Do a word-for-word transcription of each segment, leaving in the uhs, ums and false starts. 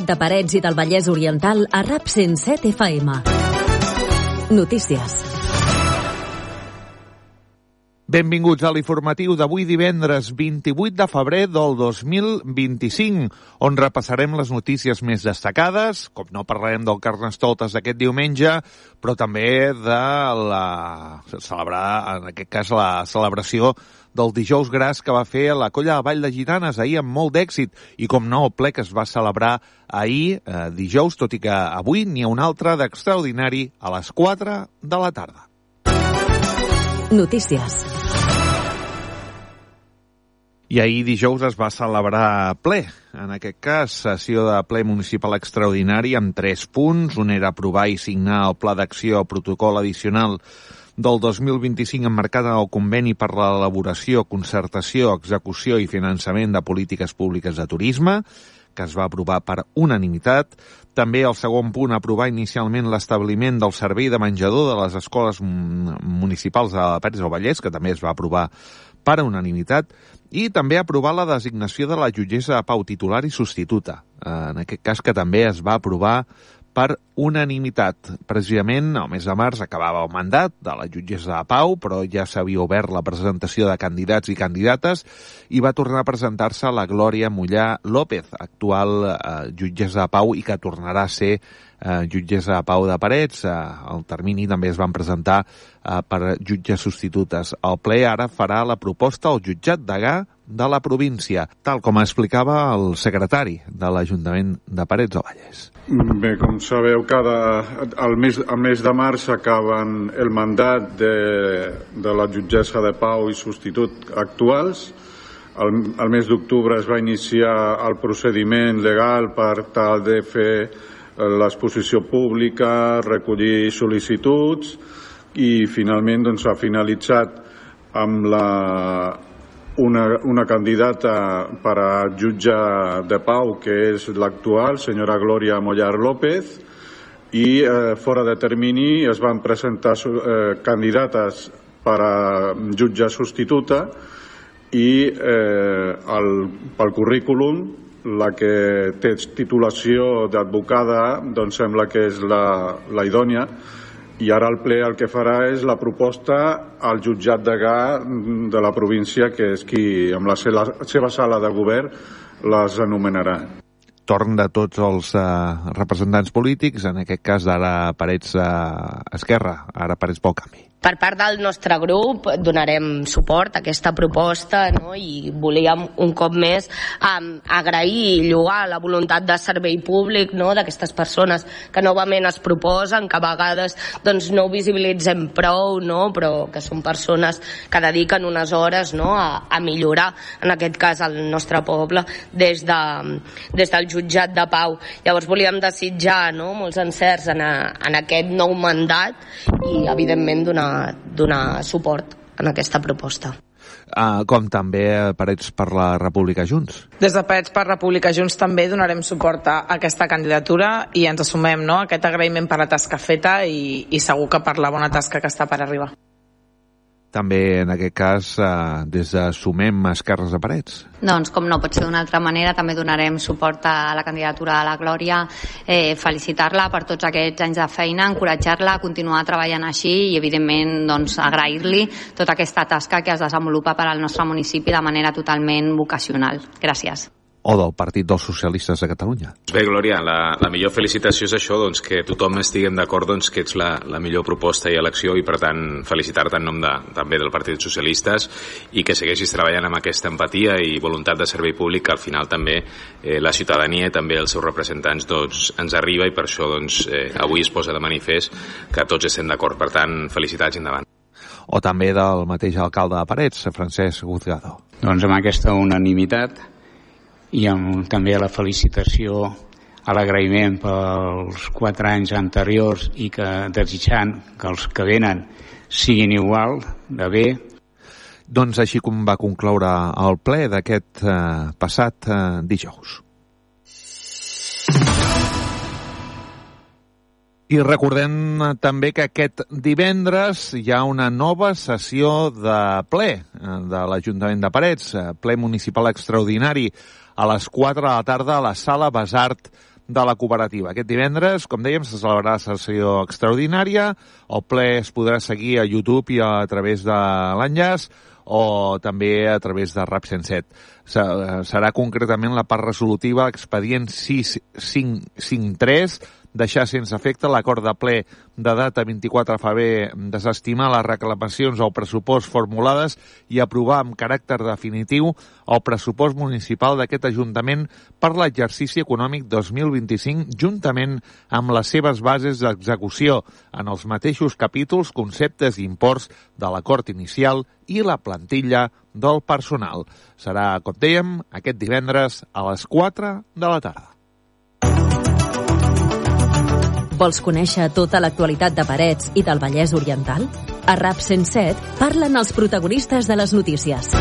De Parets i del Vallès Oriental a RAP cent set F M. Notícies. Benvinguts a l'informatiu d'avui divendres vint-i-vuit de febrer del dos mil vint-i-cinc, on repassarem les notícies més destacades, com no parlarem del Carnestoltes d'aquest diumenge, però també de la celebrar, en aquest cas, la celebració del Dijous Gras que va fer la Colla de Vall de Gitanes ahir amb molt d'èxit, i com no, el ple que es va celebrar ahir, eh, dijous, tot i que avui n'hi ha un altre d'extraordinari a les quatre de la tarda. Notícies. I ahir dijous es va celebrar ple, en aquest cas, sessió de ple municipal extraordinari amb tres punts. Un era aprovar i signar el pla d'acció protocol addicional del dos mil vint-i-cinc emmarcat en el conveni per l'elaboració, concertació, execució i finançament de polítiques públiques de turisme, que es va aprovar per unanimitat. També el segon punt, aprovar inicialment l'establiment del servei de menjador de les escoles municipals de Parets del Vallès, que també es va aprovar per unanimitat, i també aprovar la designació de la jutgessa de pau titular i substituta, en aquest cas que també es va aprovar per unanimitat. Precisament, el mes de març acabava el mandat de la jutgessa de pau, però ja s'havia obert la presentació de candidats i candidates i va tornar a presentar-se la Glòria Mollà López, actual eh, jutgessa de pau i que tornarà a ser eh, jutgessa de pau de Parets. Eh, el termini també es van presentar eh, per jutges substitutes. El ple ara farà la proposta al jutjat degà de la província, tal com explicava el secretari de l'Ajuntament de Parets del Vallès. Bé, com sabeu, cada, al, mes, al mes de març acaben el mandat de, de la jutgessa de pau i substitut actuals. Al, al mes d'octubre es va iniciar el procediment legal per tal de fer l'exposició pública, recollir sol·licituds i finalment doncs, ha finalitzat amb la Una, una candidata per a jutge de pau, que és l'actual, senyora Glòria Mollà López, i eh, fora de termini es van presentar eh, candidates per a jutge substituta i eh, el, pel currículum la que té titulació d'advocada doncs sembla que és la, la idònia. I ara el ple el que farà és la proposta al jutjat degà de la província, que és qui, amb la seva, seva sala de govern, les anomenarà. Torn de tots els eh, representants polítics, en aquest cas d'ara Parets eh, Esquerra, ara Parets pel Canvi. Per part del nostre grup donarem suport a aquesta proposta, no? I volíem un cop més um, agrair i lloar la voluntat de servei públic, no? D'aquestes persones que novament es proposen, que a vegades doncs, no ho visibilitzem prou, no? Però que són persones que dediquen unes hores, no? a, a millorar, en aquest cas, el nostre poble des, de, des del jutjat de pau. Llavors volíem desitjar, no? molts encerts en, a, en aquest nou mandat i, evidentment, donar donar suport en aquesta proposta. Uh, com també Parets per la República Junts. Des de Parets per República Junts també donarem suport a aquesta candidatura i ens assumem, no?, aquest agraïment per la tasca feta i, i segur que per la bona tasca que està per arribar. També, en aquest cas, eh, des de Sumem Esquerres de Parets. Doncs, com no pot ser d'una altra manera, també donarem suport a la candidatura de la Glòria, eh, felicitar-la per tots aquests anys de feina, encoratjar-la a continuar treballant així i, evidentment, doncs, agrair-li tota aquesta tasca que es desenvolupa per al nostre municipi de manera totalment vocacional. Gràcies. O del Partit dels Socialistes de Catalunya. Bé, Glòria, la, la millor felicitació és això, doncs, que tothom estiguem d'acord doncs, que ets la, la millor proposta i elecció i, per tant, felicitar-te en nom de, també del Partit dels Socialistes i que segueixis treballant amb aquesta empatia i voluntat de servei públic que al final també eh, la ciutadania i també els seus representants doncs, ens arriba i per això doncs, eh, avui es posa de manifest que tots estem d'acord. Per tant, felicitats i endavant. O també del mateix alcalde de Parets, Francesc Guzgado. Doncs amb aquesta unanimitat i amb també la felicitació, a l'agraïment pels quatre anys anteriors i que desitjant que els que venen siguin igual de bé. Doncs així com va concloure el ple d'aquest eh, passat eh, dijous. I recordem també que aquest divendres hi ha una nova sessió de ple de l'Ajuntament de Parets, ple municipal extraordinari a les quatre de la tarda a la Sala Besart de la cooperativa. Aquest divendres, com dèiem, se celebrarà la sessió extraordinària. El ple es podrà seguir a YouTube i a través de l'enllaç o també a través de RAP cent set. Serà concretament la part resolutiva expedient sis cinc cinc tres, deixar sense efecte l'acord de ple de data vint-i-quatre de febrer, desestimar les reclamacions al pressupost formulades i aprovar amb caràcter definitiu el pressupost municipal d'aquest Ajuntament per l'exercici econòmic dos mil vint-i-cinc, juntament amb les seves bases d'execució en els mateixos capítols, conceptes i imports de l'acord inicial i la plantilla del personal. Serà, com dèiem, aquest divendres a les quatre de la tarda. Vols conèixer tota l'actualitat de Parets i del Vallès Oriental? A RAP cent set parlen els protagonistes de les notícies.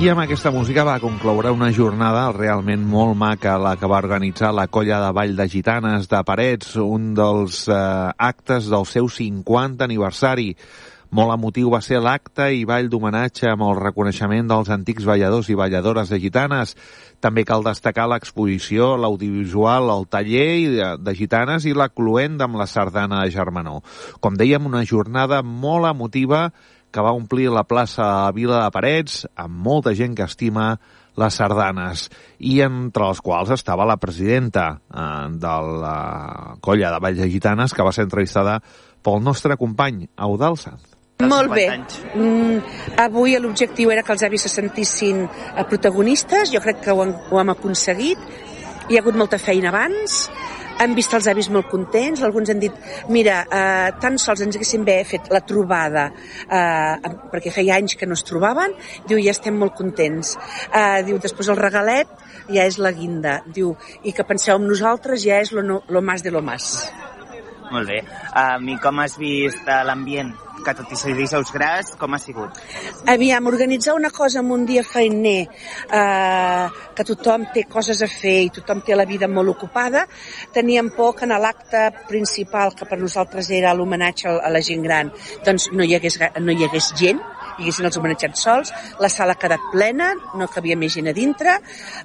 I amb aquesta música va concloure una jornada realment molt maca, la que va organitzar la Colla de Ball de Gitanes de Parets, un dels eh, actes del seu cinquanta aniversari. Molt emotiu va ser l'acte i ball d'homenatge amb el reconeixement dels antics balladors i balladores de gitanes. També cal destacar l'exposició, l'audiovisual, el taller de gitanes i la cloenda amb la sardana de Germanó. Com dèiem, una jornada molt emotiva que va omplir la plaça de la Vila de Parets amb molta gent que estima les sardanes, i entre els quals estava la presidenta eh, de la Colla de Ball de Gitanes, que va ser entrevistada pel nostre company, Eudald Sanz. Molt bé. Mm, avui l'objectiu era que els avis se sentissin protagonistes. Jo crec que ho hem, ho hem aconseguit. Hi ha hagut molta feina abans. Hem vist els avis molt contents. Alguns han dit, mira, eh, tan sols ens haguéssim bé fet la trobada, eh, perquè feia anys que no es trobaven. Diu, ja estem molt contents. Eh, diu, després el regalet ja és la guinda. Diu, i que penseu en nosaltres ja és lo, no, lo más de lo más. Molt bé. Um, I com has vist uh, l'ambient? Que tot i ser dijous gras, com ha sigut? Aviam, organitzar una cosa en un dia feiner, eh, que tothom té coses a fer i tothom té la vida molt ocupada, teníem por que en l'acte principal, que per nosaltres era l'homenatge a la gent gran, doncs no hi hagués, no hi hagués gent, hi haguessin els homenatjats sols, la sala ha quedat plena, no cabia més gent a dintre,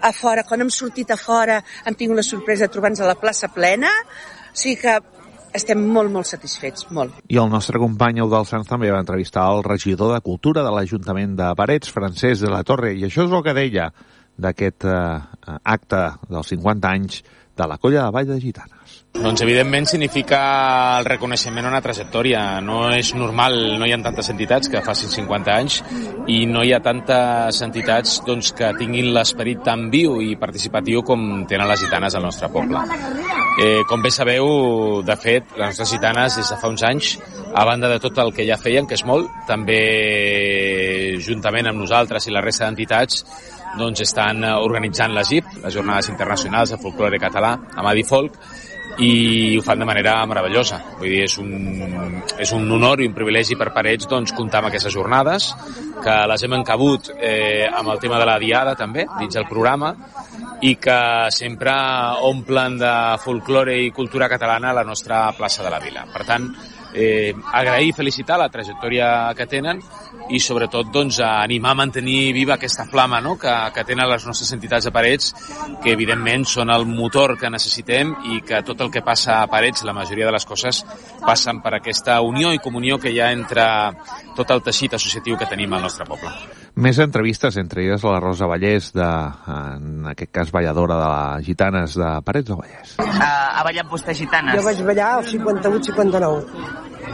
a fora, quan hem sortit a fora, hem tingut la sorpresa de trobar-nos a la plaça plena, o sigui que estem molt, molt satisfets, molt. I el nostre company Eudald Sanz també va entrevistar el regidor de Cultura de l'Ajuntament de Parets, Francesc de la Torre, i això és el que deia d'aquest eh, acte dels cinquanta anys de la Colla de Ball de Gitanes. Doncs evidentment significa el reconeixement a una trajectòria. No és normal, no hi ha tantes entitats que facin cinquanta anys i no hi ha tantes entitats doncs, que tinguin l'esperit tan viu i participatiu com tenen les gitanes al nostre poble. Eh, com bé sabeu, de fet, les nostres gitanes des de fa uns anys, a banda de tot el que ja feien, que és molt, també juntament amb nosaltres i la resta d'entitats doncs estan organitzant la G I P, les Jornades Internacionals de Folklore Català, a Madifolk, i ho fan de manera meravellosa. Vull dir, és un, és un honor i un privilegi per Parets doncs, comptar amb aquestes jornades, que les hem encabut eh, amb el tema de la diada també, dins del programa, i que sempre omplen de folklore i cultura catalana a la nostra plaça de la Vila. Per tant, eh, agrair i felicitar la trajectòria que tenen i sobretot doncs, animar a mantenir viva aquesta flama, no? que, que tenen les nostres entitats de Parets, que evidentment són el motor que necessitem i que tot el que passa a Parets, la majoria de les coses, passen per aquesta unió i comunió que hi ha entre tot el teixit associatiu que tenim al nostre poble. Més entrevistes, entre elles la Rosa Vallès, de, en aquest cas balladora de les Gitanes de Parets del Vallès. Uh, ha ballat vostè gitanes? Jo vaig ballar al cinquanta-vuit cinquanta-nou.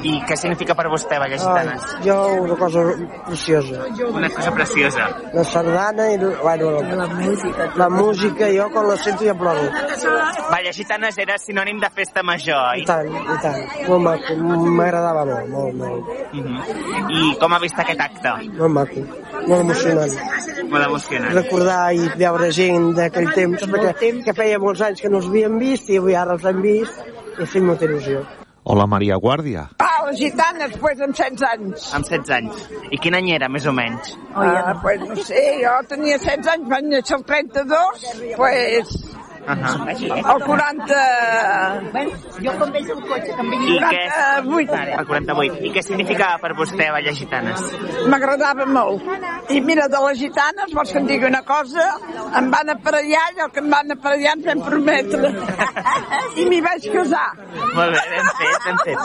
I què significa per vostè ballar gitanes? Ah, jo una cosa preciosa. Una cosa preciosa. La sardana i bueno, la, música. La música, jo quan la sento ja ploro. Ballar gitanes era sinònim de festa major, oi? I tant, i tant. Molt maco, m'agradava molt, molt, molt. Uh -huh. I com ha vist aquest acte? Molt maco, molt emocionant. Molt emocionant. Recordar i veure gent d'aquell temps, perquè que feia molts anys que no els havíem vist i avui ara els hem vist i ha fet molta il·lusió. Hola, Maria Guàrdia. Ah, les gitanes, pues, amb setze anys. Amb setze anys. I quin any era, més o menys? Ah, pues no sé, jo tenia setze anys, van néixer el trenta-dos, pues, El quaranta... Jo quan veig el cotxe, que em vingui quaranta-vuit. El quaranta-vuit. I què significava per vostè Balles Gitanes? M'agradava molt. I mira, de les gitanes, vols que em digui una cosa? Em van aparellar i el que em van aparellar ens vam prometre. I m'hi vaig casar. Molt bé, ben fet, ben fet.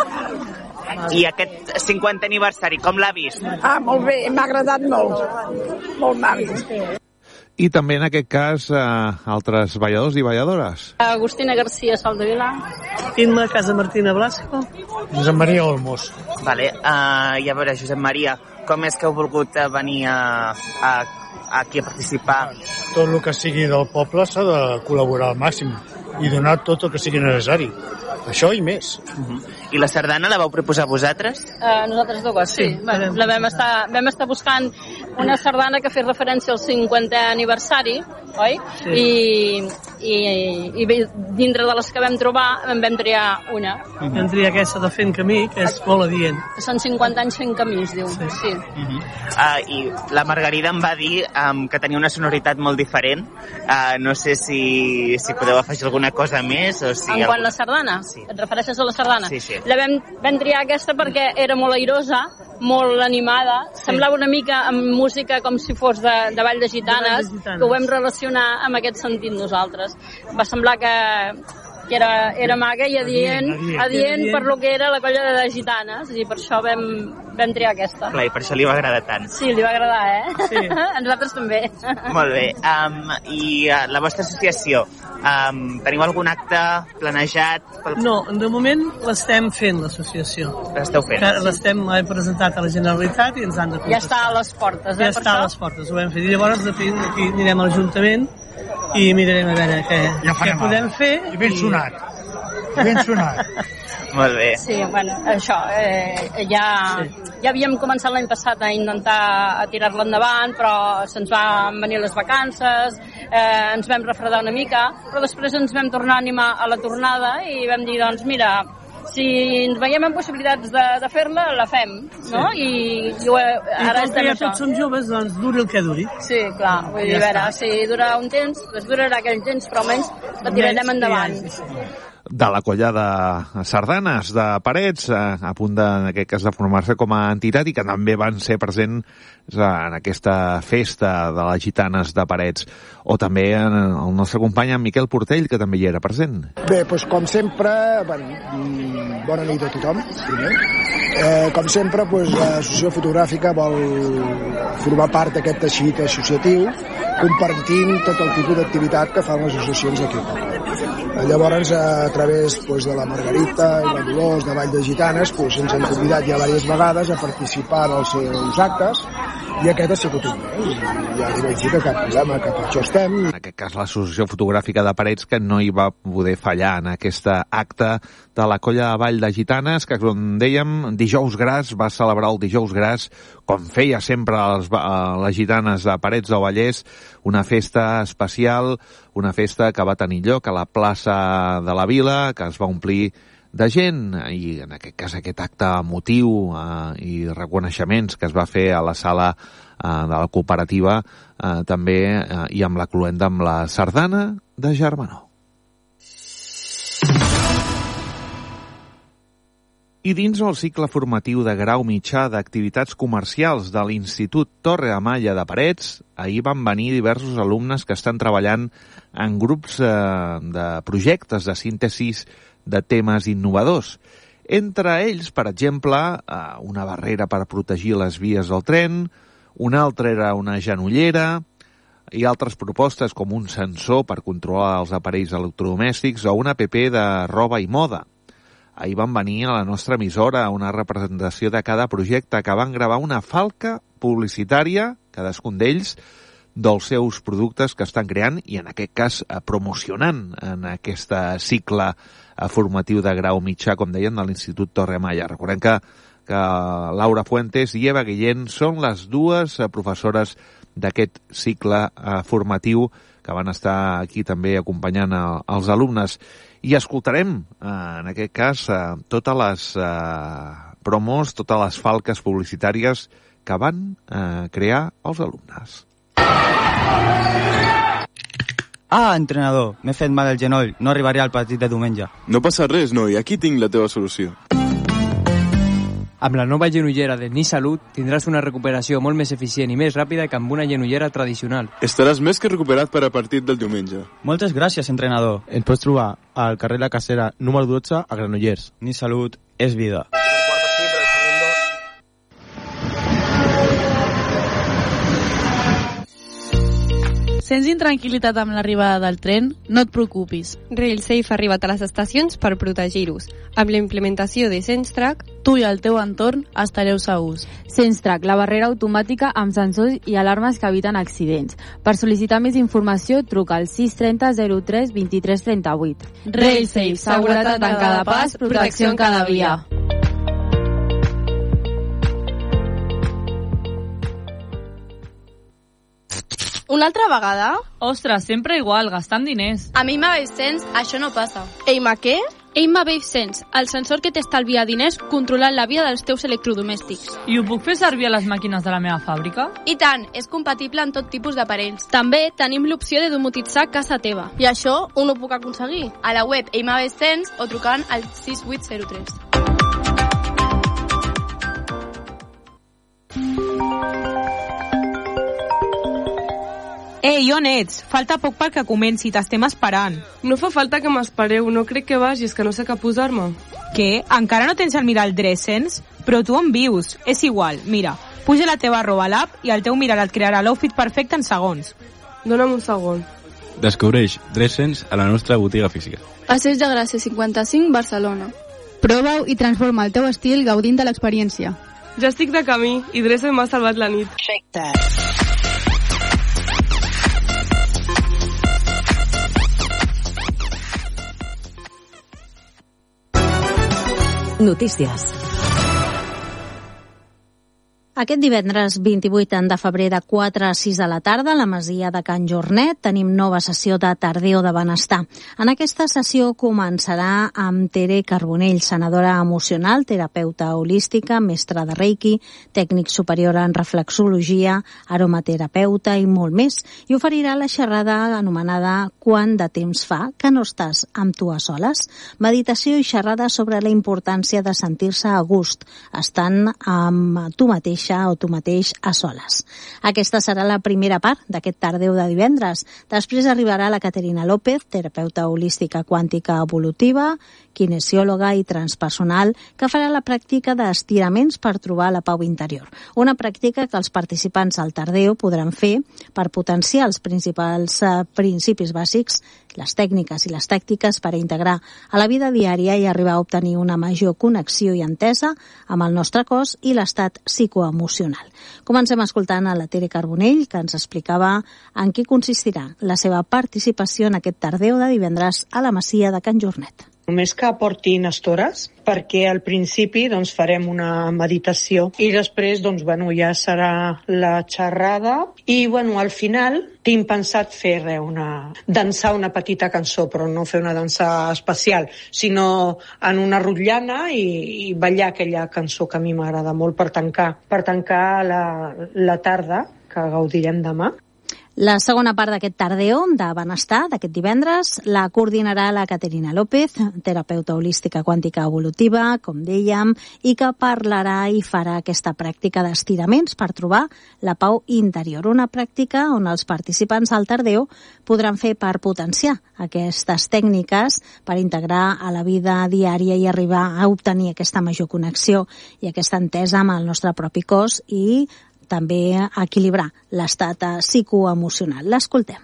I aquest cinquantè aniversari, com l'ha vist? Ah, molt bé, m'ha agradat molt. Molt maco. I també en aquest cas eh, altres balladors i balladores. Agustina García Saldevila. Imma Casa Martina Blasco. Josep Maria Olmos. Vale, uh, i a veure, Josep Maria, com és que heu volgut venir a, a, aquí a participar? Tot el que sigui del poble s'ha de col·laborar al màxim i donar tot el que sigui necessari. Això i més. Uh-huh. I la sardana la vau proposar vosaltres? Uh, nosaltres dues, sí. sí. Bueno, la vam estar, vam estar buscant una sardana que fes referència al cinquantè aniversari, oi? Sí. I, i, i dintre de les que vam trobar en vam triar una. Uh-huh. Vam triar aquesta de Fent Camí, que és molt adient. Són cinquanta anys fent camí, es diu. Sí. sí. Uh-huh. uh, I la Margarida em va dir um, que tenia una sonoritat molt diferent. Uh, no sé si, si podeu afegir alguna cosa més o si... En quant algú... a la sardana? Sí. Et refereixes a la sardana? Sí, sí. La vam, vam triar aquesta perquè era molt airosa, molt animada, sí. Semblava una mica amb música com si fos de, de Ball de Gitanes, de Gitanes, que ho vam relacionar amb aquest sentit nosaltres. Va semblar que, que era, era maca i adient, adient, adient per lo que era la colla de gitanes, i per això vam, vam triar aquesta. Clar, i per això li va agradar tant. Sí, li va agradar, eh? Sí. A nosaltres també. Molt bé. Um, I uh, la vostra associació, um, teniu algun acte planejat? Pel... No, de moment l'estem fent, l'associació. L'esteu fent? L'estem presentat a la Generalitat i ens han de contestar. Ja està a les portes, eh? Ja està a les portes, ho hem fet. I llavors aquí anirem a l'Ajuntament i mirarem a veure què, ja què podem fer. I ben sonat. I ben sonat. Molt bé. Sí, bueno, això, eh, ja, sí. ja havíem començat l'any passat a intentar a tirar-la endavant, però se'ns van venir les vacances, eh, ens vam refredar una mica, però després ens vam tornar a animar a la tornada i vam dir, doncs mira, si ens veiem en possibilitats de, de fer-la, la fem, no? Sí. I, i ara I com que ja tots som joves, doncs duri el que duri. Sí, clar, vull dir, a veure, si dura un temps, doncs durarà aquell temps, però almenys la tirarem endavant. Sí, sí. De la colla de sardanes de Parets, a punt de, en aquest cas de formar-se com a entitat i que també van ser presents en aquesta festa de les gitanes de Parets, o també en el nostre company en Miquel Portell, que també hi era present. Bé, doncs com sempre, bueno, bona nit a tothom, primer. Eh, com sempre, doncs, l'associació fotogràfica vol formar part d'aquest teixit associatiu, compartint tot el tipus d'activitat que fan les associacions aquí. Llavors, a través doncs, de la Margarita i la Dolors de Vall de Gitanes, doncs, ens han convidat ja diverses vegades a participar en els seus actes, i aquest ha sigut un mes, i ja li vaig dir que cap problema, que per això estem. En aquest cas, l'Associació Fotogràfica de Parets, que no hi va poder fallar en aquesta acte de la colla de Vall de Gitanes, que, com dèiem, dijous gras, va celebrar el dijous gras, com feia sempre les, les gitanes de Parets del Vallès, una festa especial, una festa que va tenir lloc a la plaça de la Vila, que es va omplir de gent, i en aquest cas aquest acte emotiu eh, i reconeixements que es va fer a la sala eh, de la cooperativa, eh, també eh, i amb la cluenda amb la sardana de Germanó. I dins el cicle formatiu de grau mitjà d'activitats comercials de l'Institut Torre Amaya de Parets, ahir van venir diversos alumnes que estan treballant en grups eh, de projectes de síntesis de temes innovadors. Entre ells, per exemple, una barrera per protegir les vies del tren, una altra era una genollera, i altres propostes com un sensor per controlar els aparells electrodomèstics o una app de roba i moda. Ahir van venir a la nostra emissora una representació de cada projecte que van gravar una falca publicitària, cadascun d'ells, dels seus productes que estan creant i, en aquest cas, promocionant en aquest cicle formatiu de grau mitjà, com deien, de l'Institut Torre Amaya. Recordem que, que Laura Fuentes i Eva Guillén són les dues professores d'aquest cicle formatiu que van estar aquí també acompanyant els alumnes. I escoltarem, en aquest cas, totes les promos, totes les falques publicitàries que van crear els alumnes. Ah, entrenador, m'he fet mal al genoll, no arribaré al partit de diumenge. No passa res, noi, aquí tinc la teva solució. Amb la nova genollera de Nisalut tindràs una recuperació molt més eficient i més ràpida que amb una genollera tradicional. Estaràs més que recuperat per a partit del diumenge. Moltes gràcies, entrenador. Ens pots trobar al carrer La Casera número dotze a Granollers. Nisalut és vida. Sents intranquil·litat amb l'arribada del tren? No et preocupis. RailSafe ha arribat a les estacions per protegir-vos. Amb la implementació de SenseTrack, tu i el teu entorn estareu segurs. SenseTrack, la barrera automàtica amb sensors i alarmes que eviten accidents. Per sol·licitar més informació, truca al sis trenta zero tres vint tres trenta vuit. RailSafe, seguretat en cada pas, protecció en cada via. Una altra vegada? Ostres, sempre igual, gastant diners. A mi m'ha Sense, això no passa. Eima què? Eima Wave Sense, el sensor que t'estalvia diners controlant la via dels teus electrodomèstics. I ho puc fer servir a les màquines de la meva fàbrica? I tant, és compatible amb tot tipus d'aparells. També tenim l'opció de domotitzar casa teva. I això on ho puc aconseguir? A la web Eima Wave Sense o trucant al sis vuit zero tres. Ei, on ets? Falta poc perquè comenci, t'estem esperant. No fa falta que m'espereu, no crec que vagis, que no sé què posar-me. Què? Encara no tens el mirall Dressens? Però tu on vius? És igual, mira, puja la teva roba a l'app i el teu mirall et crearà l'outfit perfecte en segons. Dóna'm un segon. Descobreix Dressens a la nostra botiga física. Passeig de Gràcia cinquanta-cinc, Barcelona. Prova-ho i transforma el teu estil gaudint de l'experiència. Ja estic de camí i Dressen m'ha salvat la nit. Perfecte. Notícies. Aquest divendres vint-i-vuit de febrer de quatre a sis de la tarda a la masia de Can Jornet tenim nova sessió de Tardeo de Benestar. En aquesta sessió començarà amb Tere Carbonell, sanadora emocional, terapeuta holística, mestra de Reiki, tècnic superior en reflexologia, aromaterapeuta i molt més, i oferirà la xerrada anomenada Quant de temps fa que no estàs amb tu a soles? Meditació i xerrada sobre la importància de sentir-se a gust, estant amb tu mateix o tu mateix a soles. Aquesta serà la primera part d'aquest Tardeu de divendres. Després arribarà la Caterina López, terapeuta holística quàntica evolutiva, kinesiòloga i transpersonal, que farà la pràctica d'estiraments per trobar la pau interior. Una pràctica que els participants al Tardeu podran fer per potenciar els principals eh, principis bàsics, les tècniques i les tàctiques per a integrar a la vida diària i arribar a obtenir una major connexió i entesa amb el nostre cos i l'estat psicoemocional. Comencem escoltant a la Tere Carbonell, que ens explicava en què consistirà la seva participació en aquest Tardeu de divendres a la Masia de Can Jornet. Només que portin estores, perquè al principi doncs, farem una meditació i després doncs, bueno, ja serà la xerrada i bueno, al final tinc pensat fer re, una, dansar una petita cançó, però no fer una dansa especial, sinó en una rotllana i, i ballar aquella cançó que a mi m'agrada molt per tancar, per tancar la, la tarda que gaudirem demà. La segona part d'aquest Tardeo de Benestar, d'aquest divendres, la coordinarà la Caterina López, terapeuta holística quàntica evolutiva, com dèiem, i que parlarà i farà aquesta pràctica d'estiraments per trobar la pau interior. Una pràctica on els participants al Tardeo podran fer per potenciar aquestes tècniques per integrar a la vida diària i arribar a obtenir aquesta major connexió i aquesta entesa amb el nostre propi cos i també equilibrar l'estat psicoemocional. L'escoltem.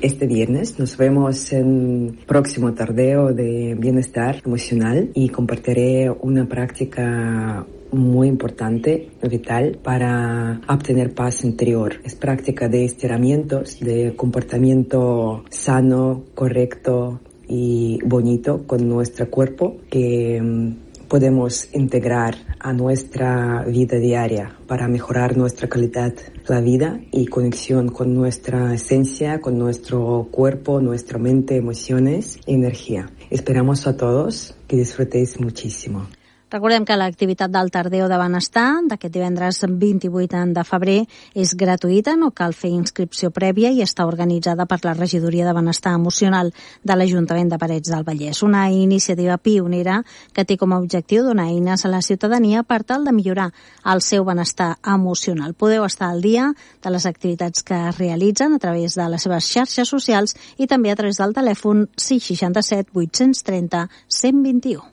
Este viernes nos vemos en próximo Tardeo de Bienestar Emocional y compartiré una práctica muy importante, vital, para obtener paz interior. Es práctica de estiramientos, de comportamiento sano, correcto y bonito con nuestro cuerpo que podemos integrar a nuestra vida diaria para mejorar nuestra calidad de la vida y conexión con nuestra esencia, con nuestro cuerpo, nuestra mente, emociones y energía. Esperamos a todos que disfrutéis muchísimo. Recordem que l'activitat del Tardeo de Benestar d'aquest divendres vint-i-vuit de febrer és gratuïta, no cal fer inscripció prèvia i està organitzada per la Regidoria de Benestar Emocional de l'Ajuntament de Parets del Vallès. Una iniciativa pionera que té com a objectiu donar eines a la ciutadania per tal de millorar el seu benestar emocional. Podeu estar al dia de les activitats que es realitzen a través de les seves xarxes socials i també a través del telèfon sis sis set vuit tres zero cent vint i u.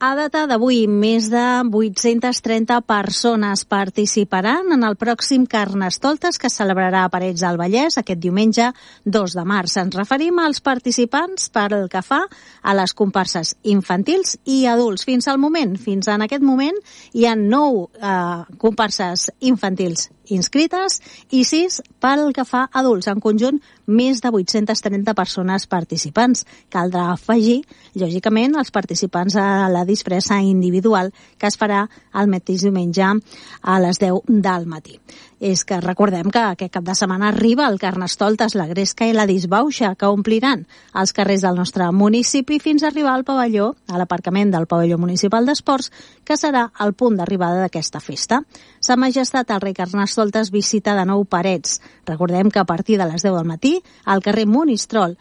A data d'avui, més de vuit-centes trenta persones participaran en el pròxim Carnestoltes que es celebrarà a Parets del Vallès aquest diumenge dos de març. Ens referim als participants per el que fa a les comparses infantils i adults. Fins al moment, fins en aquest moment, hi ha nou eh, comparses infantils inscrites i sis pel que fa a adults. En conjunt, més de vuit-centes trenta persones participants. Caldrà afegir, lògicament, els participants a la disfressa individual que es farà el mateix diumenge a les deu del matí. És que recordem que aquest cap de setmana arriba el Carnestoltes, la Gresca i la Disbauxa, que ompliran els carrers del nostre municipi fins a arribar al pavelló, a l'aparcament del pavelló municipal d'esports, que serà el punt d'arribada d'aquesta festa. Sa Majestat el rei Carnestoltes visita de nou Parets. Recordem que a partir de les deu del matí, al carrer Monistrol,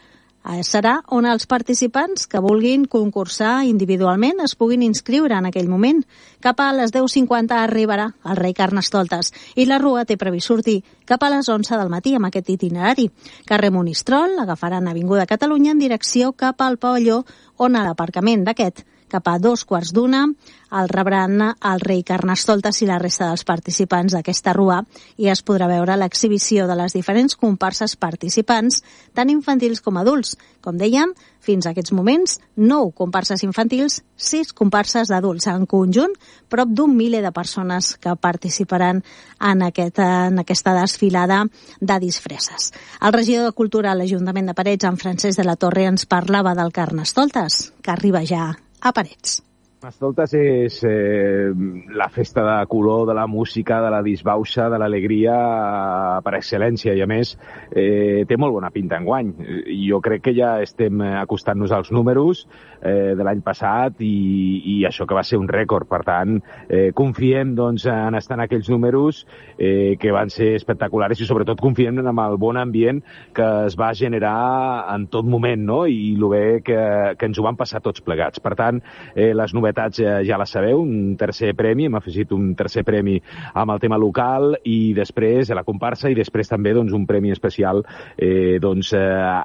serà on els participants que vulguin concursar individualment es puguin inscriure en aquell moment. Cap a les deu cinquanta arribarà el rei Carnestoltes i la rua té previst sortir cap a les onze del matí amb aquest itinerari. Carrer Monistrol, agafaran Avinguda Catalunya en direcció cap al pavelló on a l'aparcament d'aquest cap a dos quarts d'una el rebran el rei Carnestoltes i la resta dels participants d'aquesta rua i es podrà veure l'exhibició de les diferents comparses participants, tant infantils com adults. Com dèiem, fins a aquests moments, nou comparses infantils, sis comparses d'adults. En conjunt, prop d'un miler de persones que participaran en, aquest, en aquesta desfilada de disfresses. El regidor de Cultura a l'Ajuntament de Parets, en Francesc de la Torre, ens parlava del Carnestoltes, que arriba ja a Parets. Carnestoltes és eh, la festa de color, de la música, de la disbauxa, de l'alegria per excel·lència i a més eh, té molt bona pinta enguany. Jo crec que ja estem acostant-nos als números eh, de l'any passat i, i això que va ser un rècord. Per tant, eh, confiem doncs, en estar en aquells números eh, que van ser espectaculars i sobretot confiem en el bon ambient que es va generar en tot moment, no? I el bé que, que ens ho van passar tots plegats. Per tant, eh, les novetats ja la sabeu, un tercer premi, hem afegit un tercer premi amb el tema local i després a la comparsa i després també doncs, un premi especial eh, doncs, eh,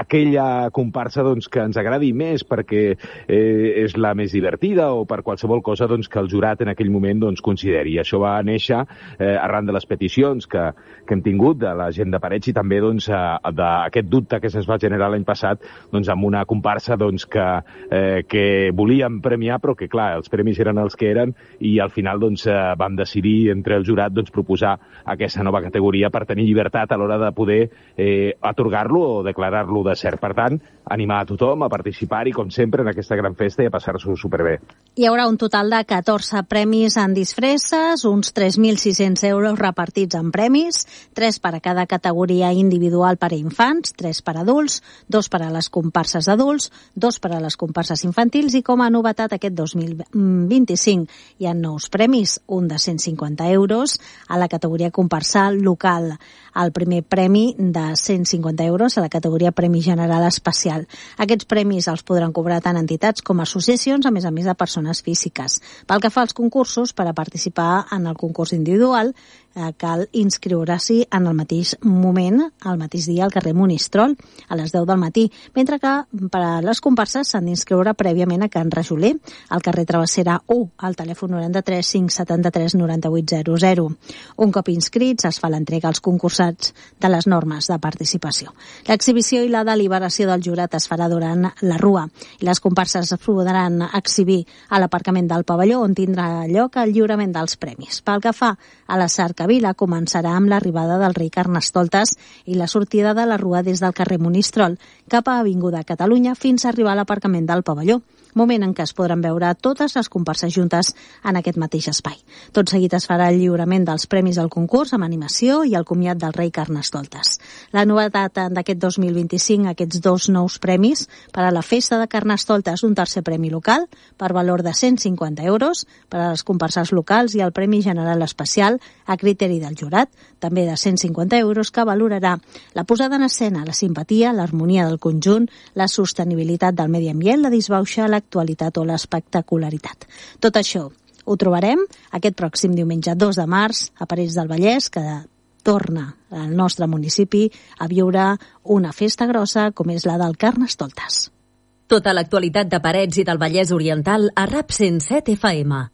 aquella comparsa doncs, que ens agradi més perquè eh, és la més divertida o per qualsevol cosa doncs, que el jurat en aquell moment doncs, consideri. Això va néixer eh, arran de les peticions que, que hem tingut de la gent de Parets i també doncs, d'aquest dubte que se'ns va generar l'any passat doncs, amb una comparsa doncs, que, eh, que volíem premiar però que, clar, els premis eren els que eren i al final doncs, eh, vam decidir entre el jurat doncs, proposar aquesta nova categoria per tenir llibertat a l'hora de poder eh, atorgar-lo o declarar-lo de cert. Per tant, animar a tothom a participar-hi, com sempre, en aquesta gran festa i a passar-s'ho superbé. Hi haurà un total de catorze premis en disfresses, uns tres mil sis-cents euros repartits en premis, tres per a cada categoria individual per a infants, tres per a adults, dos per a les comparses adults, dos per a les comparses infantils i com a novetat aquest dos mil vint-i-cinc hi ha nous premis, un de cent cinquanta euros a la categoria comparsal local, el primer premi de cent cinquanta euros a la categoria Premi General Especial. Aquests premis els podran cobrar tant entitats com associacions, a més a més de persones físiques. Pel que fa als concursos, per a participar en el concurs individual, eh, cal inscriure-s'hi en el mateix moment, al mateix dia, al carrer Monistrol, a les deu del matí, mentre que per a les comparses s'han d'inscriure prèviament a Can Rajoler, al carrer Travessera u, al telèfon noranta-tres cinc setanta-tres noranta-vuit zero zero. Un cop inscrits, es fa l'entrega als concursats de les normes de participació. L'exhibició i la deliberació del jurat es farà durant la rua i les comparses es podran exhibir a l'aparcament del pavelló on tindrà lloc el lliurament dels premis. Pel que fa a les cerques cercavila començarà amb l'arribada del rei Carnestoltes i la sortida de la rua des del carrer Monistrol cap a Avinguda Catalunya fins a arribar a l'aparcament del pavelló, moment en què es podran veure totes les comparses juntes en aquest mateix espai. Tot seguit es farà el lliurament dels premis al concurs amb animació i el comiat del rei Carnestoltes. La novetat d'aquest dos mil vint-i-cinc, aquests dos nous premis per a la festa de Carnestoltes, un tercer premi local per valor de cent cinquanta euros per a les comparses locals i el premi general especial a criteri del jurat, també de cent cinquanta euros, que valorarà la posada en escena, la simpatia, l'harmonia del conjunt, la sostenibilitat del medi ambient, la disbauxa, l'actualitat o l'espectacularitat. Tot això ho trobarem aquest pròxim diumenge dos de març a Parets del Vallès, que torna al nostre municipi a viure una festa grossa com és la del Carnestoltes. Tota l'actualitat de Parets i del Vallès Oriental a RAP cent set F M.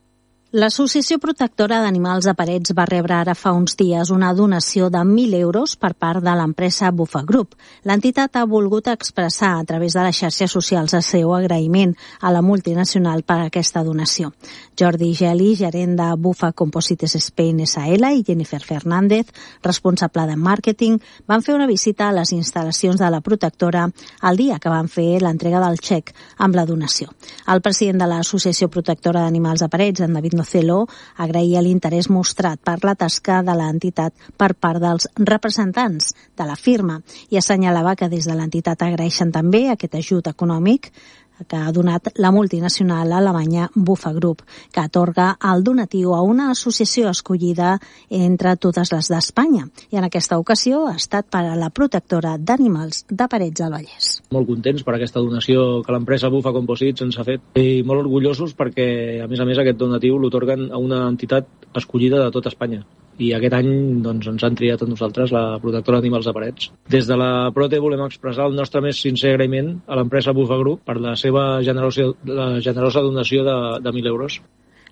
L'Associació Protectora d'Animals de Parets va rebre ara fa uns dies una donació de mil euros per part de l'empresa Bufa Group. L'entitat ha volgut expressar a través de les xarxes socials el seu agraïment a la multinacional per aquesta donació. Jordi Geli, gerent de Bufa Composites Spain S A L, i Jennifer Fernández, responsable de màrqueting, van fer una visita a les instal·lacions de la protectora el dia que van fer l'entrega del xec amb la donació. El president de l'Associació Protectora d'Animals de Parets, en David Nocelo, agraïa l'interès mostrat per la tasca de l'entitat per part dels representants de la firma i assenyalava que des de l'entitat agraeixen també aquest ajut econòmic que ha donat la multinacional alemanya Bufa Group, que atorga el donatiu a una associació escollida entre totes les d'Espanya. I en aquesta ocasió ha estat per a la protectora d'animals de Parets del Vallès. Molt contents per aquesta donació que l'empresa Bufa Composites ens ha fet i molt orgullosos perquè, a més a més, aquest donatiu l'otorguen a una entitat escollida de tot Espanya. I aquest any doncs, ens han triat a nosaltres la protectora d'animals de Parets. Des de la Prote volem expressar el nostre més sincer agraïment a l'empresa Bufa Group per la seva generosa, la generosa donació de, de mil euros.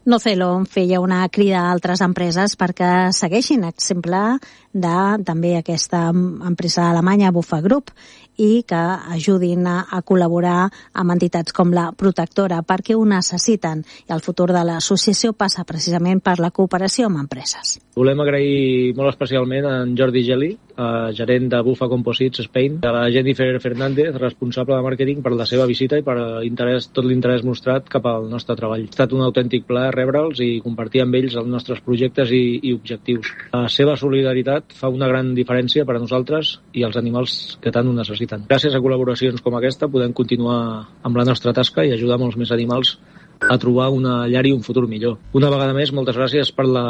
Nocelo feia una crida a altres empreses perquè segueixin exemple de també aquesta empresa alemanya Bufa Group i que ajudin a, a col·laborar amb entitats com la protectora perquè ho necessiten, i el futur de l'associació passa precisament per la cooperació amb empreses. Volem agrair molt especialment a en Jordi Geli, gerent de Bufa Composites Spain, a la Jennifer Fernández, responsable de màrqueting, per la seva visita i per interès, tot l'interès mostrat cap al nostre treball. Ha estat un autèntic plaer rebre'ls i compartir amb ells els nostres projectes i, i objectius. La seva solidaritat fa una gran diferència per a nosaltres i els animals que tant ho necessiten. Gràcies a col·laboracions com aquesta podem continuar amb la nostra tasca i ajudar molts més animals a trobar una llar i un futur millor. Una vegada més, moltes gràcies per la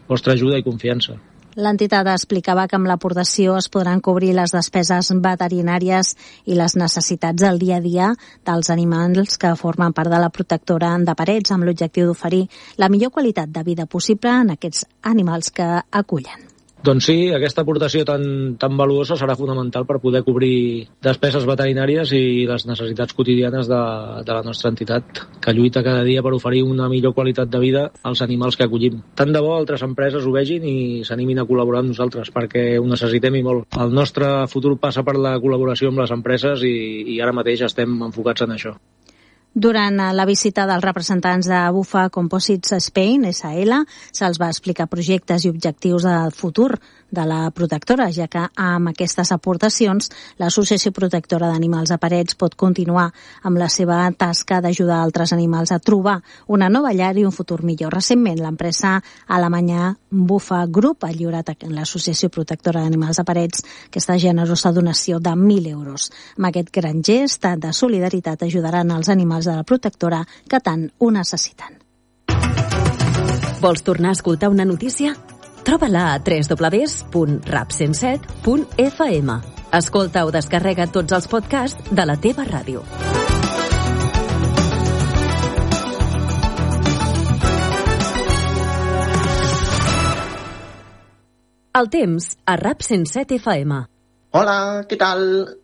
vostra ajuda i confiança. L'entitat explicava que amb l'aportació es podran cobrir les despeses veterinàries i les necessitats del dia a dia dels animals que formen part de la protectora de Parets, amb l'objectiu d'oferir la millor qualitat de vida possible en aquests animals que acullen. Doncs sí, aquesta aportació tan, tan valuosa serà fonamental per poder cobrir despeses veterinàries i les necessitats quotidianes de, de la nostra entitat, que lluita cada dia per oferir una millor qualitat de vida als animals que acollim. Tant de bo altres empreses ho vegin i s'animin a col·laborar amb nosaltres, perquè ho necessitem i molt. El nostre futur passa per la col·laboració amb les empreses i, i ara mateix estem enfocats en això. Durant la visita dels representants de Bufa Composites Spain S A L se'ls va explicar projectes i objectius del futur de la protectora, ja que amb aquestes aportacions l'Associació Protectora d'Animals de Parets pot continuar amb la seva tasca d'ajudar altres animals a trobar una nova llar i un futur millor. Recentment, l'empresa alemanya Bufa Group ha lliurat a l'Associació Protectora d'Animals de Parets aquesta generosa donació de mil euros. Amb aquest gran gest de solidaritat ajudaran els animals de la protectora que tant ho necessiten. Vols tornar a escoltar una notícia? Troba-la a w w w punt rap cent set punt f m. Escolta o descarrega tots els podcasts de la teva ràdio. El temps a RAP cent set F M. Hola, què tal?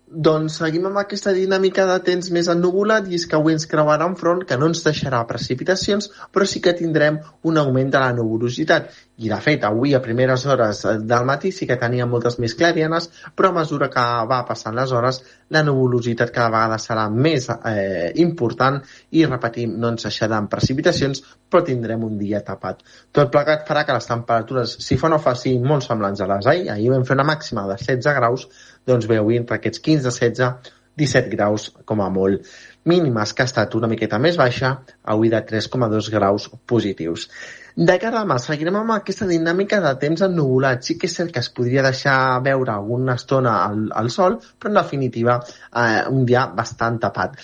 Doncs seguim amb aquesta dinàmica de temps més ennuvolat i és que avui ens creuarà un front que no ens deixarà precipitacions, però sí que tindrem un augment de la nuvolositat. I de fet, avui a primeres hores del matí sí que teníem moltes més clarianes, però a mesura que va passant les hores, la nuvolositat cada vegada serà més eh, important i, repetim, no ens deixaran precipitacions, però tindrem un dia tapat. Tot plegat farà que les temperatures, si fa no fa, siguin molt semblants a les ahir. Ahir vam fer una màxima de setze graus, doncs bé, avui entre aquests quinze, setze, disset graus com a molt. Mínimes que ha estat una miqueta més baixa, avui de tres coma dos graus positius. De cara a demà seguirem amb aquesta dinàmica de temps ennuvolat. Sí que és cert que es podria deixar veure alguna estona al, al sol, però en definitiva eh, un dia bastant tapat.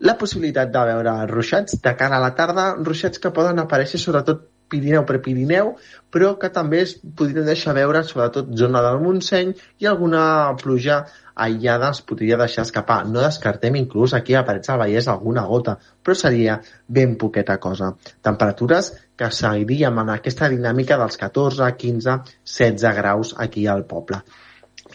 La possibilitat de veure ruixats de cara a la tarda, ruixats que poden aparèixer sobretot Pirineu per Pirineu, però que també es podrien deixar veure sobretot zona del Montseny i alguna pluja aïllada es podria deixar escapar. No descartem inclús aquí a Parets del Vallès alguna gota, però seria ben poqueta cosa. Temperatures que seguiríem en aquesta dinàmica dels catorze, quinze, setze graus aquí al poble.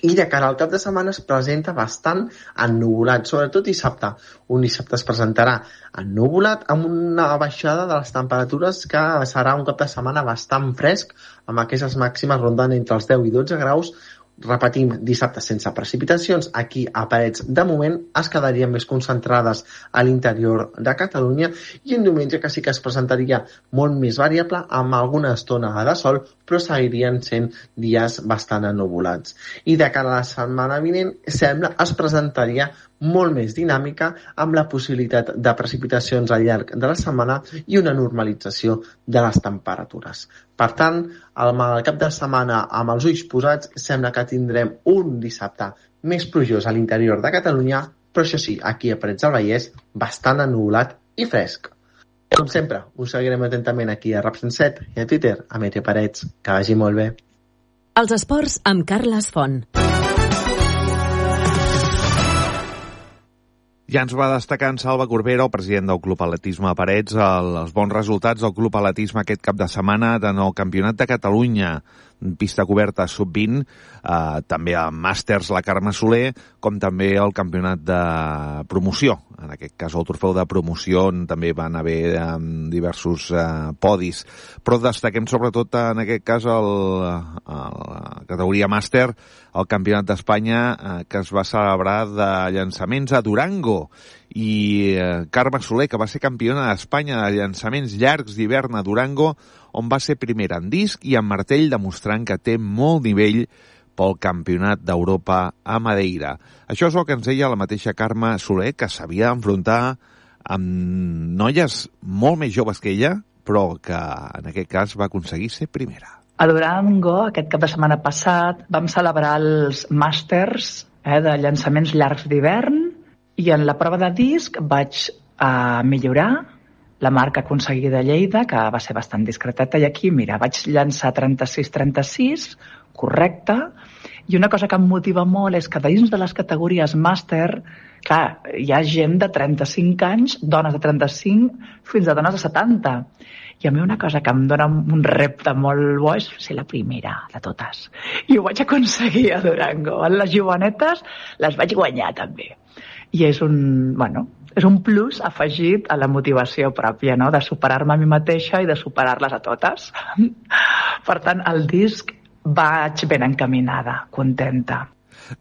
I de cara al cap de setmana es presenta bastant ennuvolat, sobretot dissabte. Un dissabte es presentarà ennuvolat amb una baixada de les temperatures que serà un cap de setmana bastant fresc, amb aquestes màximes rondant entre els deu i dotze graus. Repetim, dissabte sense precipitacions, aquí a Parets de moment es quedarien més concentrades a l'interior de Catalunya i un diumenge que sí que es presentaria molt més variable amb alguna estona de sol, però seguirien sent dies bastant ennuvolats. I de cara a la setmana vinent, sembla es presentaria molt més dinàmica amb la possibilitat de precipitacions al llarg de la setmana i una normalització de les temperatures. Per tant, al cap de setmana amb els ulls posats sembla que tindrem un dissabte més plujós a l'interior de Catalunya, però això sí, aquí a Parets del Vallès, bastant ennuvolat i fresc. Com sempre, us seguirem atentament aquí a Rap cent set i a Twitter, a Meteo Parets. Que vagi molt bé. Els esports amb Carles Font. Ja ens va destacar en Salva Corbera, el president del Club Atletisme Parets, el, els bons resultats del Club Atletisme aquest cap de setmana en el Campionat de Catalunya, pista coberta sub vint, eh, també a Màsters la Carme Soler, com també el Campionat de Promoció. En aquest cas el trofeu de promoció on també van haver eh, diversos eh, podis. Però destaquem sobretot en aquest cas el, el, la categoria Màster, el Campionat d'Espanya eh, que es va celebrar de llançaments a Durango. I eh, Carme Soler, que va ser campiona d'Espanya de llançaments llargs d'hivern a Durango, on va ser primera en disc i en martell, demostrant que té molt nivell pel Campionat d'Europa a Madeira. Això és el que ens deia la mateixa Carme Soler, que s'havia d'enfrontar amb noies molt més joves que ella, però que en aquest cas va aconseguir ser primera. A Durango, aquest cap de setmana passat, vam celebrar els màsters eh, de llançaments llargs d'hivern i en la prova de disc vaig eh, millorar la marca aconseguida a Lleida, que va ser bastant discreteta, i aquí, mira, vaig llançar trenta-sis trenta-sis, correcte, i una cosa que em motiva molt és que dins de les categories màster, clar, hi ha gent de trenta-cinc anys, dones de trenta-cinc, fins a dones de setanta. I a mi una cosa que em dona un repte molt bo és ser la primera de totes. I ho vaig aconseguir a Durango. Les jovenetes les vaig guanyar també. I és un, bueno, és un plus afegit a la motivació pròpia, no? De superar-me a mi mateixa i de superar-les a totes. Per tant, el disc vaig ben encaminada, contenta.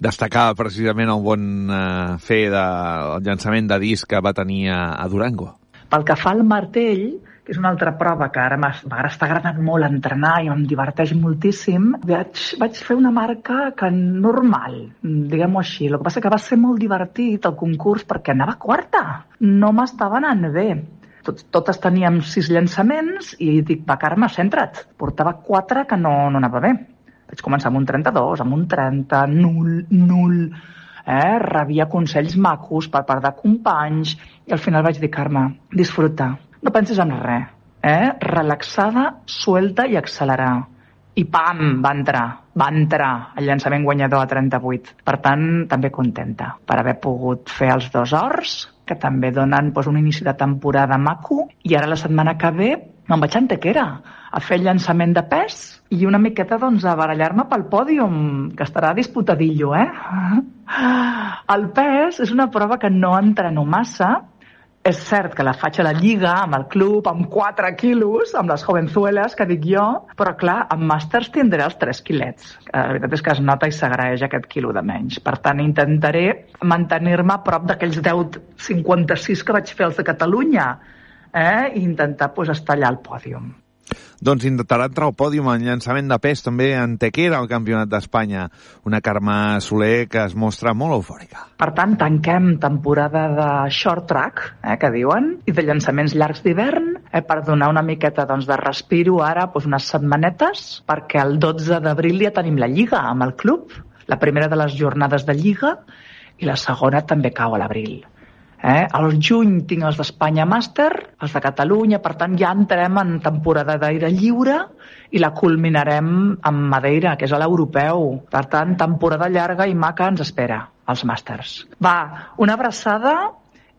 Destacar precisament el bon eh, fer del llançament de disc que va tenir a, a Durango. Pel que fa al martell, que és una altra prova que ara m'està agradant molt entrenar i em diverteix moltíssim, vaig, vaig fer una marca que normal, diguem-ho així. El que passa que va ser molt divertit el concurs perquè anava quarta. No m'estava anant bé. Tot, totes teníem sis llançaments i dic, va, Carme, centra't. Portava quatre que no, no anava bé. Vaig començar amb un trenta-dos, amb un trenta, nul, nul. Eh? Rebia consells macos per part de companys i al final vaig dir, Carme, disfruta. No pensis en res, eh? Relaxada, suelta i accelerar. I pam, va entrar, va entrar el llançament guanyador a trenta-vuit. Per tant, també contenta per haver pogut fer els dos horts, que també donen doncs, un inici de temporada maco, i ara la setmana que ve me'n vaig a Antequera a fer el llançament de pes i una miqueta doncs, a barallar-me pel pòdium, que estarà disputadillo, eh? El pes és una prova que no entreno massa. És cert que la faig a la lliga, amb el club, amb quatre quilos, amb les jovenzueles, que dic jo, però clar, amb màsters tindré els tres quilets. La veritat és que es nota i s'agraeix aquest quilo de menys. Per tant, intentaré mantenir-me a prop d'aquells deu coma cinquanta-sis que vaig fer els de Catalunya, eh? i intentar pues, estar allà al pòdium. Doncs intentarà entrar al pòdium en llançament de pes també en Tequera al Campionat d'Espanya. Una Carme Soler que es mostra molt eufòrica. Per tant, tanquem temporada de short track, eh, que diuen, i de llançaments llargs d'hivern, eh, per donar una miqueta doncs, de respiro ara, doncs, unes setmanetes, perquè el dotze d'abril ja tenim la Lliga amb el club, la primera de les jornades de Lliga, i la segona també cau a l'abril. Eh? Al juny tinc els d'Espanya Màster, els de Catalunya, per tant ja entrem en temporada d'aire lliure i la culminarem amb Madeira, que és a l'europeu. Per tant, temporada llarga i maca ens espera, els Màsters. Va, una abraçada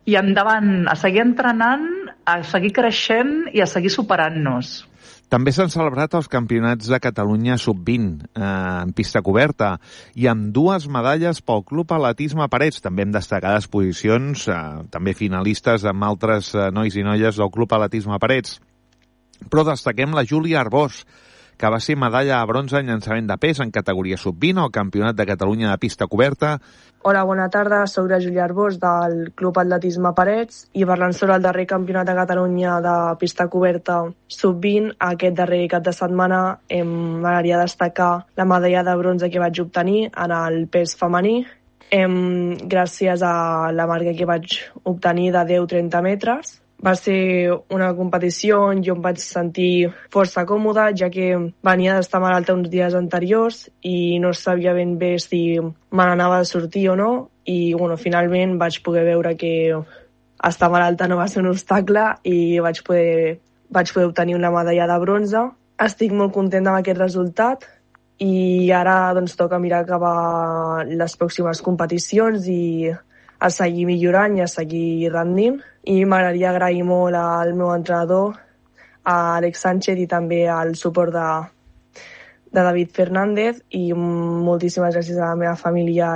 i endavant, a seguir entrenant, a seguir creixent i a seguir superant-nos. També s'han celebrat els campionats de Catalunya sub vint eh, en pista coberta i amb dues medalles pel Club Atletisme Parets. També hem destacat posicions, eh, també finalistes amb altres eh, nois i noies del Club Atletisme Parets. Però destaquem la Júlia Arbós, que va ser medalla de bronze en llançament de pes en categoria sub vint al Campionat de Catalunya de pista coberta. Hola, bona tarda, soc la Júlia Arbós del Club Atletisme Parets i parlant sobre el darrer Campionat de Catalunya de pista coberta sub vint, aquest darrer cap de setmana em m'agradaria destacar la medalla de bronze que vaig obtenir en el pes femení, em, gràcies a la marca que vaig obtenir de deu a trenta metres. Va ser una competició on jo em vaig sentir força còmoda, ja que venia d'estar malalta uns dies anteriors i no sabia ben bé si me n'anava a sortir o no. I bueno, finalment vaig poder veure que estar malalta no va ser un obstacle i vaig poder, vaig poder obtenir una medalla de bronze. Estic molt contenta amb aquest resultat i ara doncs, toca mirar cap a les pròximes competicions i a seguir millorant i a seguir rendint. I m'agradaria agrair molt al meu entrenador, a Alex Sánchez i també al suport de, de David Fernández i moltíssimes gràcies a la meva família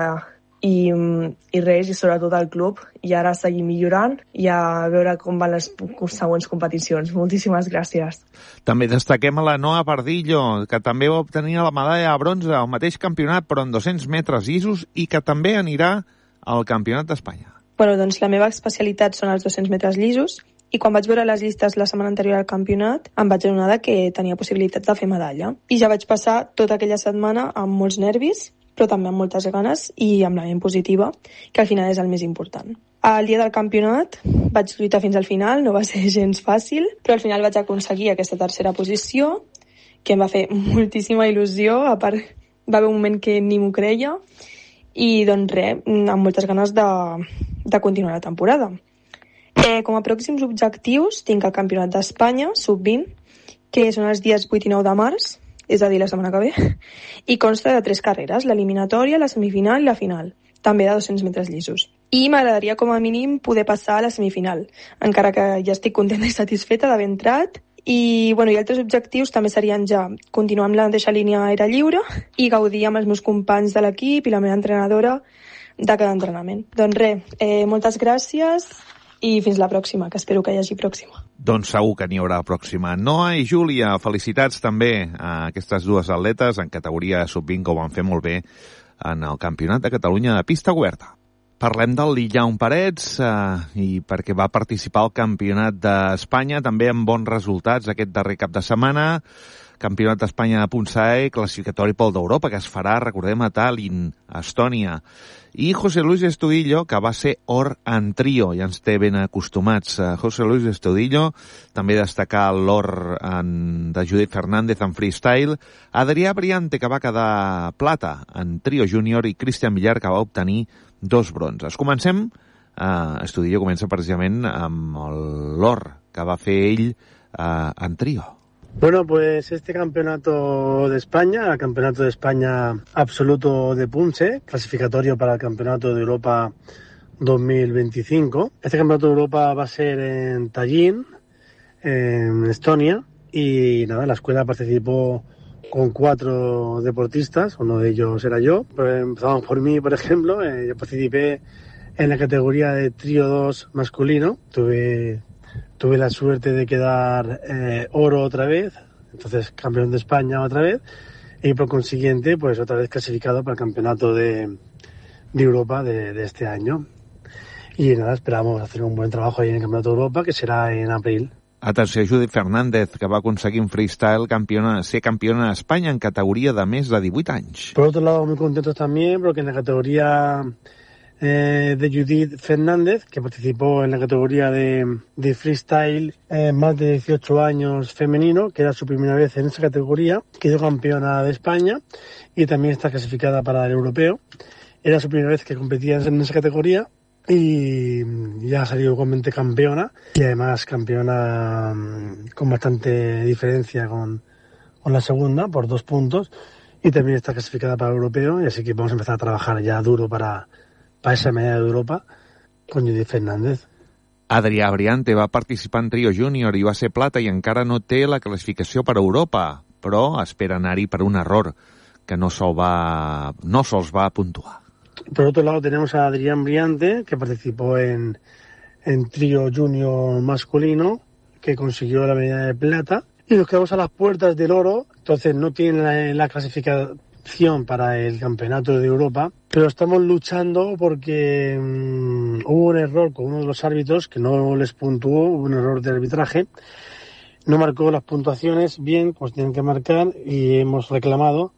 i, i res, i sobretot al club. I ara seguir millorant i a veure com van les següents competicions. Moltíssimes gràcies. També destaquem a la Noa Pardillo, que també va obtenir la medalla de bronze al mateix campionat, però en dos-cents metres llisos, i que també anirà al Campionat d'Espanya. Bueno, doncs la meva especialitat són els dos-cents metres llisos i quan vaig veure les llistes la setmana anterior al campionat em vaig adonar que tenia possibilitats de fer medalla. I ja vaig passar tota aquella setmana amb molts nervis, però també amb moltes ganes i amb la ment positiva, que al final és el més important. El dia del campionat vaig lluitar fins al final, no va ser gens fàcil, però al final vaig aconseguir aquesta tercera posició, que em va fer moltíssima il·lusió, a part va haver un moment que ni m'ho creia, i doncs res, amb moltes ganes de, de continuar la temporada. Eh, com a pròxims objectius tinc el Campionat d'Espanya sub vint, que són els dies vuit i nou de març, és a dir, la setmana que ve, i consta de tres carreres, l'eliminatòria, la semifinal i la final, també de dos-cents metres llisos. I m'agradaria com a mínim poder passar a la semifinal, encara que ja estic contenta i satisfeta d'haver entrat. I, bueno, i altres objectius també serien ja continuar amb la mateixa línia aire lliure i gaudir amb els meus companys de l'equip i la meva entrenadora de cada entrenament. Doncs res, eh, moltes gràcies i fins la pròxima, que espero que hi hagi pròxima. Doncs segur que n'hi haurà pròxima. Noa i Júlia, felicitats també a aquestes dues atletes en categoria sub vint, que ho van fer molt bé en el Campionat de Catalunya de pista coberta. Parlem del Lillau Parets eh, i perquè va participar al Campionat d'Espanya també amb bons resultats aquest darrer cap de setmana. Campionat d'Espanya de Punsae, classificatori pel d'Europa, que es farà, recordem, a Tallinn, a Estònia. I José Luis Estudillo, que va ser or en trio, ja ens té ben acostumats. José Luis Estudillo, també destacar l'or en, de Judith Fernández en freestyle. Adrià Briante, que va quedar plata en trio júnior, i Cristian Villar, que va obtenir dos bronzes. Comencem, eh, Estudillo comença precisament amb l'or que va fer ell eh, en trio. Bueno, pues este campeonato de España, el campeonato de España absoluto de Punce, clasificatorio para el campeonato de Europa dos mil veinticinco. Este campeonato de Europa va a ser en Tallinn, en Estonia, y nada, la escuela participó con cuatro deportistas, uno de ellos era yo. Pero empezamos por mí, por ejemplo, eh, yo participé en la categoría de trío dos masculino. Tuve, tuve la suerte de quedar eh, oro otra vez, entonces campeón de España otra vez, y por consiguiente, pues otra vez clasificado para el campeonato de, de Europa de, de este año. Y nada, esperamos hacer un buen trabajo ahí en el campeonato de Europa, que será en abril. Atenció, Judith Fernández, que va aconseguir en freestyle campiona, ser campiona d'Espanya en categoria de més de divuit anys. Por otro lado, muy contentos también porque en la categoría eh, de Judith Fernández, que participó en la categoría de, de freestyle eh, más de dieciocho años femenino, que era su primera vez en esa categoría, quedó campeona de España y también está clasificada para el europeo. Era su primera vez que competía en esa categoría y ya ha salido igualmente campeona, y además campeona con bastante diferencia con, con la segunda, por dos puntos, y también está clasificada para el europeo, y así que vamos a empezar a trabajar ya duro para, para esa medalla de Europa con Judith Fernández. Adrià Briante va participar en trio júnior i va ser plata i encara no té la classificació per a Europa, però espera anar-hi per un error, que no se'l va, no se'ls va puntuar. Por otro lado tenemos a Adrián Briante, que participó en, en trío junior masculino, que consiguió la medalla de plata, y nos quedamos a las puertas del oro, entonces no tiene la, la clasificación para el campeonato de Europa, pero estamos luchando porque um, hubo un error con uno de los árbitros que no les puntuó, hubo un error de arbitraje, no marcó las puntuaciones bien, pues tienen que marcar, y hemos reclamado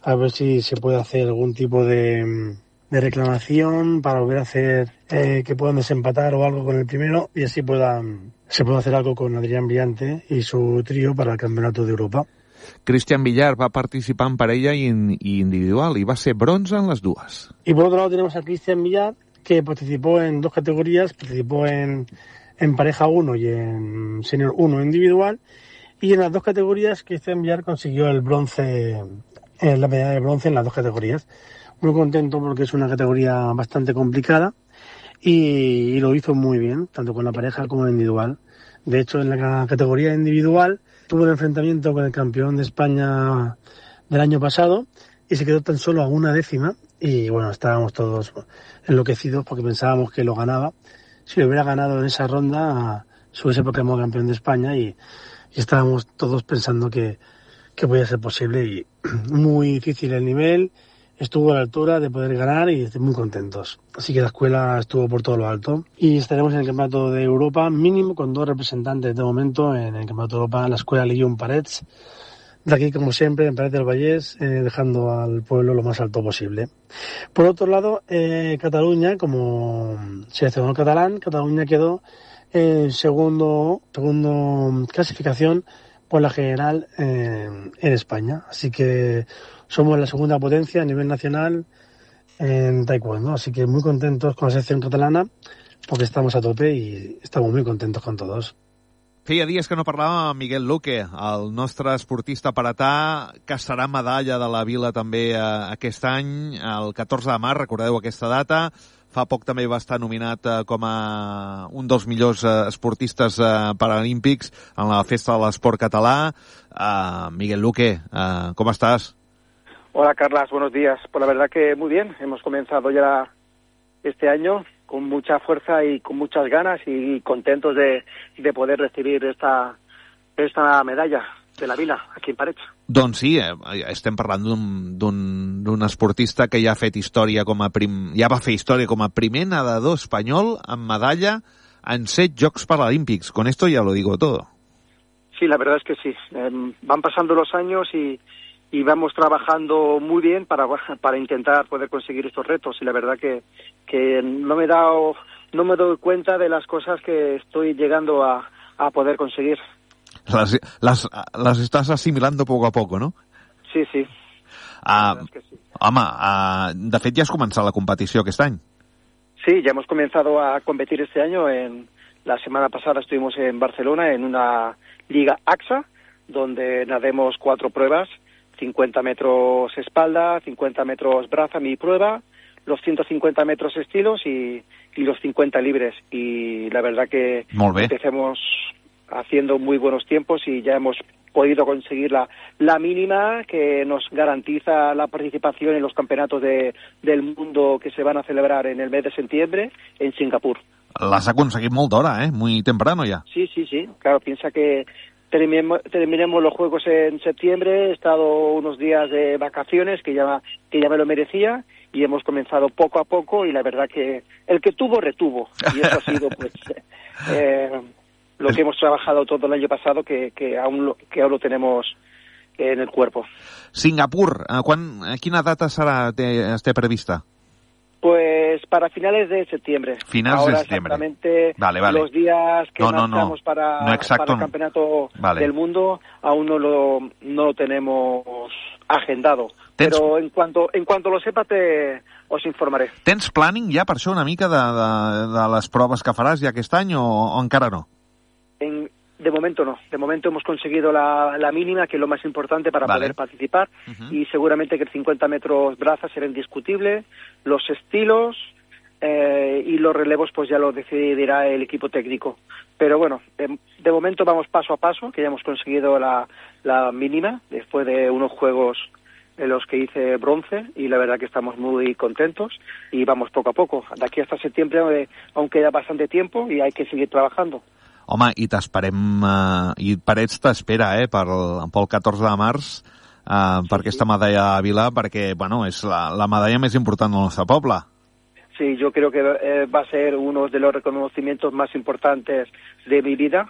a ver si se puede hacer algún tipo de... de reclamación para volver a hacer eh, que puedan desempatar o algo con el primero, y así puedan se pueda hacer algo con Adrián Briante y su trío para el Campeonato de Europa. Cristian Villar va participar en parella i, in, i individual i va ser bronze en les dues. Y por otro lado tenemos a Cristian Villar, que participó en dos categorías, participó en, en pareja uno y en senior uno individual, y en las dos categorías Cristian Villar consiguió el bronce, eh, la medalla de bronce en las dos categorías. Muy contento porque es una categoría bastante complicada y, y lo hizo muy bien, tanto con la pareja como en individual. De hecho, en la categoría individual tuvo un enfrentamiento con el campeón de España del año pasado y se quedó tan solo a una décima, y bueno, estábamos todos enloquecidos porque pensábamos que lo ganaba. Si lo hubiera ganado en esa ronda, se hubiese proclamado campeón de España, y, y estábamos todos pensando que, que podía ser posible, y muy difícil el nivel. Estuvo a la altura de poder ganar y estoy muy contentos. Así que la escuela estuvo por todo lo alto. Y estaremos en el Campeonato de Europa, mínimo con dos representantes de momento en el Campeonato de Europa, la escuela Lillon Parets. De aquí, como siempre, en Parets del Vallès, eh, dejando al pueblo lo más alto posible. Por otro lado, eh, Cataluña, como seleccionador catalán, Cataluña quedó en segundo, segundo clasificación por la general eh, en España. Así que somos la segunda potencia a nivel nacional en taekwondo, así que muy contentos con la selección catalana porque estamos a tope y estamos muy contentos con todos. Feia dies que no parlàvem amb Miguel Luque, el nostre esportista paratà, que serà medalla de la Vila també eh, aquest any, el catorze de març, recordeu aquesta data. Fa poc també va estar nominat eh, com a un dels millors eh, esportistes eh, paralímpics en la Festa de l'Esport Català. Eh, Miguel Luque, eh, com estàs? Hola, Carlas, buenos días. Pues la verdad que muy bien. Hemos comenzado ya este año con mucha fuerza y con muchas ganas y contentos de, de poder recibir esta, esta medalla de la Vila aquí en Parets. Doncs sí, eh, estem parlant d'un esportista que ja ha fet història com a prim, ja va fer història com a primer nedador espanyol amb medalla en set Jocs Paralímpics. Con esto ya lo digo todo. Sí, la verdad es que sí. Eh, van pasando los años y y vamos trabajando muy bien para para intentar poder conseguir estos retos, y la verdad que que no me he dado no me doy cuenta de las cosas que estoy llegando a, a poder conseguir. Las, las, las estás asimilando poco a poco, ¿no? Sí, sí. Uh, es que sí. Home, uh, de fet ja has començat la competició aquest any. Sí, ya hemos comenzado a competir este año. En la semana pasada estuvimos en Barcelona en una liga A X A, donde nademos cuatro pruebas: cincuenta metros espalda, cincuenta metros braza, mi prueba, los ciento cincuenta metros estilos y, y los cincuenta libres. Y la verdad que empecemos haciendo muy buenos tiempos y ya hemos podido conseguir la, la mínima que nos garantiza la participación en los campeonatos de, del mundo que se van a celebrar en el mes de septiembre en Singapur. L'has aconseguit molt d'hora, eh? Muy temprano ya. Sí, sí, sí. Claro, piensa que terminemos, terminemos los Juegos en septiembre, he estado unos días de vacaciones que ya, que ya me lo merecía y hemos comenzado poco a poco y la verdad que el que tuvo, retuvo. Y eso ha sido, pues... Eh, lo que hemos trabajado todo el año pasado, que, que, aún, lo, que aún lo tenemos en el cuerpo. Singapur, quan, a quina data serà, té, té prevista? Pues para finales de septiembre. Finales Ahora de septiembre. Exactamente vale, vale. Los días que no, no, marcamos no. para, no exacto, para el campeonato vale. del mundo aún no lo, no lo tenemos agendado. Tens... Pero en cuanto, en cuanto lo sepa te os informaré. Tens planning ja per això una mica de, de, de les proves que faràs ja aquest any o, o encara no? En, de momento no. De momento hemos conseguido la, la mínima, que es lo más importante para vale. poder participar. Uh-huh. Y seguramente que el cincuenta metros braza será indiscutible. Los estilos eh, y los relevos pues ya lo decidirá el equipo técnico. Pero bueno, de, de momento vamos paso a paso, que ya hemos conseguido la, la mínima después de unos juegos en los que hice bronce y la verdad que estamos muy contentos y vamos poco a poco. De aquí hasta septiembre aún queda bastante tiempo y hay que seguir trabajando. Home, i t'esperem, eh, i Parets t'espera, eh, pel, pel catorze de març, eh, sí, per aquesta medalla de Vila, perquè, bueno, és la, la medalla més important del nostre poble. Sí, yo creo que eh, va a ser uno de los reconocimientos más importantes de mi vida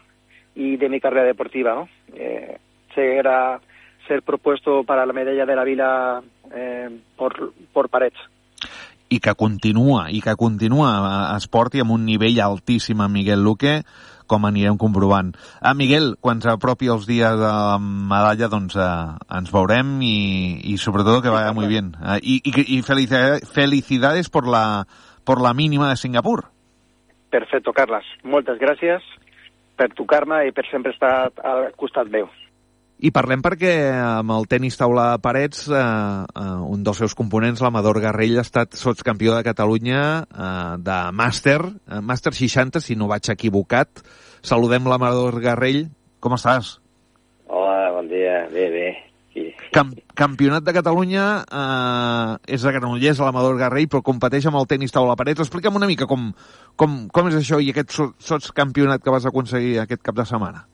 y de mi carrera deportiva, ¿no? Eh, será ser propuesto para la medalla de la Vila eh, por, por Parets. I que continua, i que continua es porti amb un nivell altíssim a Miguel Luque, com anirem comprovant. Ah, Miguel, quan s'apropi els dies de la medalla, doncs eh, ens veurem i, i sobretot que vaya muy bien. Eh, i i, i felicidades, felicidades por la, por la mínima de Singapur. Perfecto, Carles. Moltes gràcies per tu karma i per sempre estar al costat meu. I parlem perquè amb el tenis taula de Parets, eh, eh, un dels seus components, l'Amador Garrell, ha estat sotscampió de Catalunya eh, de màster, eh, màster seixanta, si no vaig equivocat. Saludem l'Amador Garrell. Com estàs? Hola, bon dia. Bé, bé. Sí. Cam Campionat de Catalunya, eh, és de Granollers, l'Amador Garrell, però competeix amb el tenis taula de Parets. Explica'm una mica com, com, com és això i aquest sotscampionat que vas aconseguir aquest cap de setmana.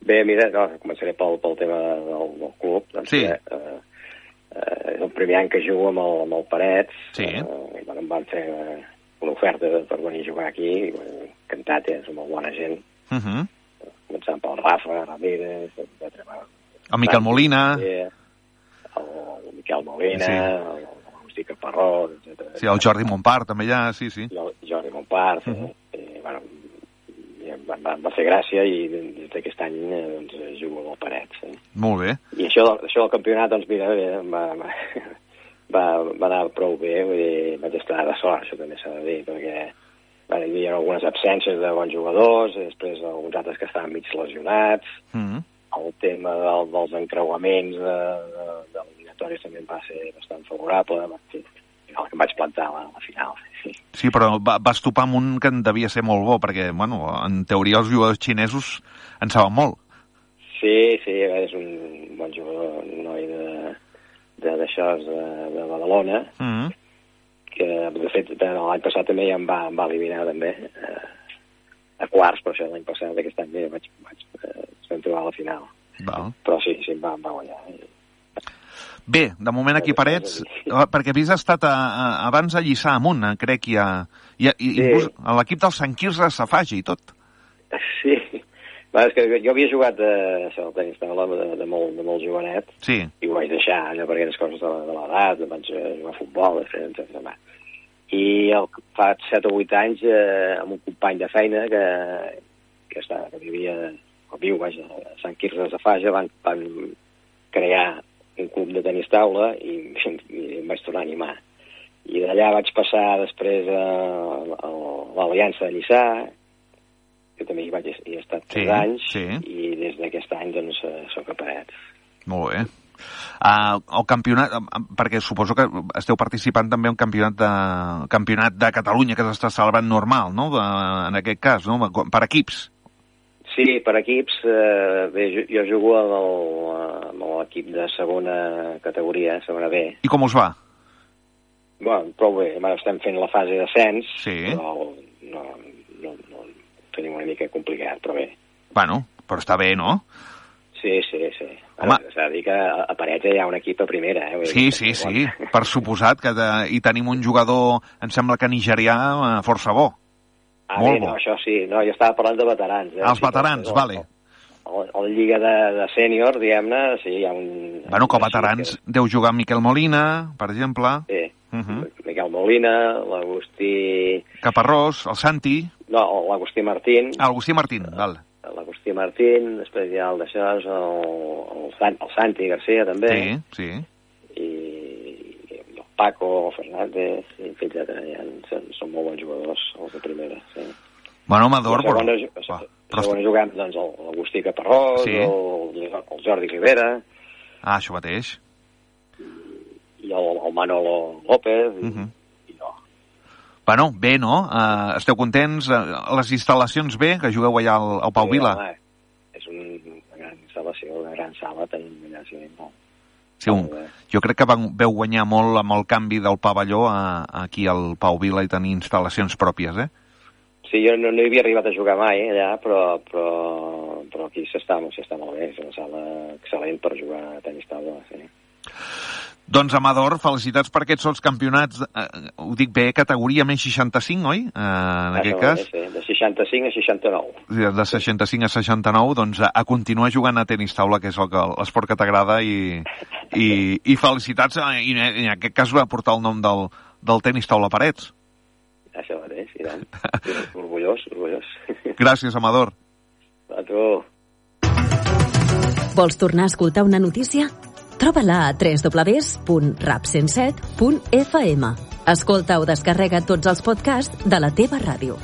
Bé, mira, no, començaré pel, pel tema del, del club. Doncs, sí. Eh, eh, és el primer any que jugo amb el, amb el Parets. Sí. Eh, bueno, em van fer eh, una oferta per venir a jugar aquí. I, bueno, encantat, eh, som molt bona gent. Uh -huh. Començant pel Rafa, Ramírez, etcètera. El Miquel Molina. El, el Miquel Molina, sí. el, el Caparrós, etcètera. Sí, el Jordi Montpart també ja, sí, sí. El Jordi Montpart, uh -huh. eh, bueno, va, va fer gràcia i des d'aquest any eh, doncs, jugo amb el Parets. Eh? Molt bé. I això, això del campionat, doncs mira, va, va, va, va anar prou bé, vull dir, vaig estar de sort, això també s'ha de dir, perquè bueno, hi havia algunes absències de bons jugadors, després alguns altres que estaven mig lesionats, mm -hmm. el tema del, dels encreuaments de, de, de eliminatoris també va ser bastant favorable, sí, el que em vaig plantar a la, a la final. Sí. Sí, però va, vas topar amb un que en devia ser molt bo, perquè, bueno, en teoria els jugadors xinesos en saben molt. Sí, sí, és un bon jugador, un noi de, de, d'això, de, de Badalona, mm -hmm. que, de fet, l'any passat també ja em va, em va eliminar, també, eh, a quarts, però això l'any passat, aquest any bé, vaig, vaig, eh, vam trobar a la final. Val. Però sí, sí, em va, em va guanyar. Bé, de moment aquí Parets, perquè havies estat a, a, abans a Lliçà amunt, crec, i, a, i, a, i sí. Inclús a l'equip del Sant Quirze Safaja i tot. Sí, va, és que jo havia jugat a, això, al tenis taula de, de, molt, de molt jovenet, sí. I ho vaig deixar, allò, perquè eren coses de, de l'edat, vaig jugar a futbol, etcètera. I el, fa set o vuit anys, eh, amb un company de feina que, que, està, que vivia, o viu, vaja, a Sant Quirze Safaja, van, van crear un club de tenis taula i, i em vaig tornar a animar. I d'allà vaig passar després a, a l'Aliança de Lliçà, que també hi vaig hi he estat tres sí, anys, sí. I des d'aquest any doncs soc a Parets. Molt bé. Uh, el campionat, perquè suposo que esteu participant també en un campionat de, campionat de Catalunya que s'està celebrant normal, no? De, en aquest cas, no? Per equips. Sí, per equips, eh, bé, jo, jo jugo amb el- amb l'equip de segona categoria, segona B. I com us va? Bueno, prou bé, ara estem fent la fase d'ascens, Sí. però no, no, no, ho tenim una mica complicat, però bé. Bueno, però està bé, no? Sí, sí, sí. Home. S'ha de dir que a a Parets hi ha un equip a primera, eh? Vull Sí, dir, sí, sí, per suposat que de, hi tenim un jugador, em sembla que nigerià, eh, força bo. Ah, Molt bé, bo. no, això sí, no, jo estava parlant de veterans. Eh? Els Sí, veterans, el, vale. El, el, el Lliga de, de sènior, diguem-ne, sí, hi ha un... Bueno, com a veterans deu jugar Miquel Molina, per exemple. Sí, Uh -huh. Miquel Molina, l'Agustí... Caparrós, el Santi. No, l'Agustí Martín. Ah, Agustí Martín, val. L'Agustí Martín, després hi ha el d'això, el, el, Sant, el Santi Garcia, també. Sí, sí. I, i el Paco, el Fernández, i etcètera. Ja, són, són molt bons jugadors, els de primera, sí. Bueno, Amador... I a segona, però... a, a segona juguem doncs, l'Agustí Caparrós, Sí. el, el Jordi Rivera, Ah, això mateix. i el, el Manolo López, i, Uh -huh. Bueno, bé, no? Uh, esteu contents? Uh, les instal·lacions bé, que jugueu allà al, al Pau Sí, Vila? home, és una gran instal·lació, una gran sala, tenim allà, sí, molt. Sí, un, jo crec que van, veu guanyar molt amb el canvi del pavelló a, aquí al Pau Vila i tenir instal·lacions pròpies, eh? Sí, jo no, no hi havia arribat a jugar mai allà, però, però, però aquí s'està s'està molt bé, és una sala excel·lent per jugar a tenis taula, sí. Doncs, Amador, felicitats per aquests sols campionats, eh, ho dic bé, categoria més seixanta-cinc, oi? Eh, en aquest Això cas. és, sí, de seixanta-cinc a seixanta-nou. De seixanta-cinc a seixanta-nou, doncs a, a continuar jugant a tenis taula, que és el que, l'esport que t'agrada, i, i, i felicitats, eh, i, i en aquest cas va portar el nom del, del tenis taula Parets. Això mateix, i tant. Orgullós, orgullós. Gràcies, Amador. A tu. Vols tornar a escoltar una notícia? Troba-la a w w w punt rap cent set punt f m. Escolta o descarrega tots els podcasts de la teva ràdio.